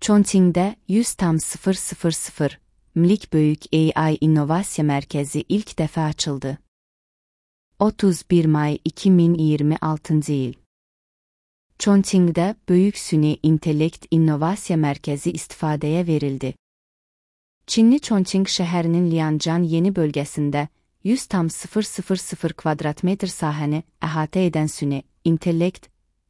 Chongqing'də 100,000 mlik böyük AI İnnovasiya Mərkəzi ilk dəfə açıldı. 31 may 2026 il. Chongqing'də Böyük Süni İntellekt İnnovasiya Mərkəzi istifadəyə verildi. Çinli Chongqing şəhərinin Lianjian yeni bölgəsində 100,000 kvadratmetr sahəni əhatə edən Süni İntellekt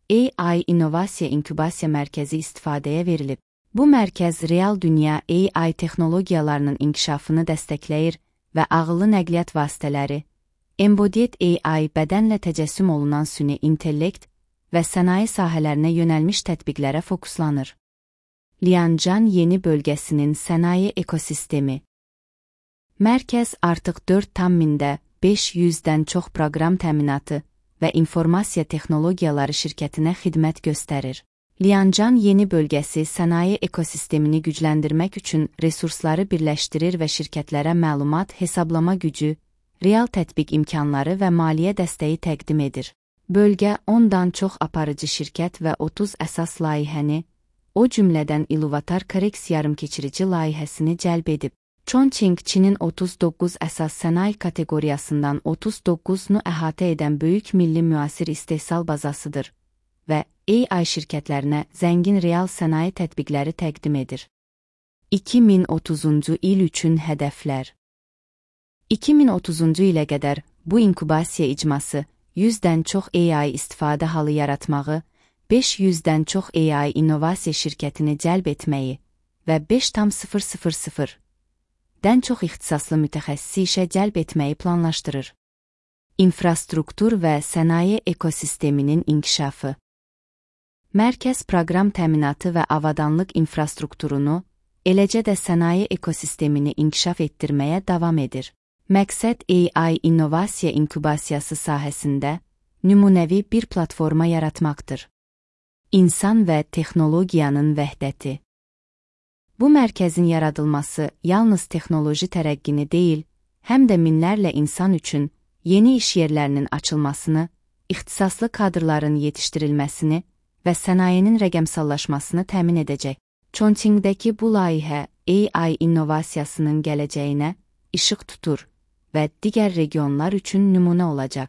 AI İnnovasiya İnkubasiya Mərkəzi istifadəyə verilib. Bu mərkəz real dünya AI texnologiyalarının inkişafını dəstəkləyir və ağıllı nəqliyyat vasitələri, embodied AI bədənlə təcəssüm olunan süni intellekt və sənaye sahələrinə yönəlmiş tətbiqlərə fokuslanır. Lianjian yeni bölgəsinin sənaye ekosistemi. Mərkəz artıq 4,500-dən çox proqram təminatı və informasiya texnologiyaları şirkətinə xidmət göstərir. Lianjian yeni bölgəsi sənaye ekosistemini gücləndirmək üçün resursları birləşdirir və şirkətlərə məlumat, hesablama gücü, real tətbiq imkanları və maliyyə dəstəyi təqdim edir. Bölgə 10-dan çox aparıcı şirkət və 30 əsas layihəni, o cümlədən Iluvatar Koreks yarımkeçirici layihəsini cəlb edib. Chongqing, Çinin 39 əsas sənaye kateqoriyasından 39-nu əhatə edən böyük milli müasir istehsal bazasıdır və AI şirkətlərinə zəngin real sənaye tətbiqləri təqdim edir. 2030-cu il üçün hədəflər. 2030-cu ilə qədər bu inkubasiya icması 100-dən çox AI istifadə halı yaratmağı, 500-dən çox AI innovasiya şirkətini cəlb etməyi və 5,000-dən çox ixtisaslı mütəxəssisi işə cəlb etməyi planlaşdırır. İnfrastruktur və sənaye ekosisteminin inkişafı. Mərkəz proqram təminatı və avadanlıq infrastrukturunu, eləcə də sənaye ekosistemini inkişaf etdirməyə davam edir. Məqsəd AI innovasiya inkubasiyası sahəsində nümunəvi bir platforma yaratmaqdır. İnsan və texnologiyanın vəhdəti. Bu mərkəzin yaradılması yalnız texnoloji tərəqqini deyil, həm də minlərlə insan üçün yeni iş yerlərinin açılmasını, ixtisaslı kadrların yetişdirilməsini və sənayenin rəqəmsallaşmasını təmin edəcək. Chongqingdəki bu layihə AI innovasiyasının gələcəyinə işıq tutur və digər regionlar üçün nümunə olacaq.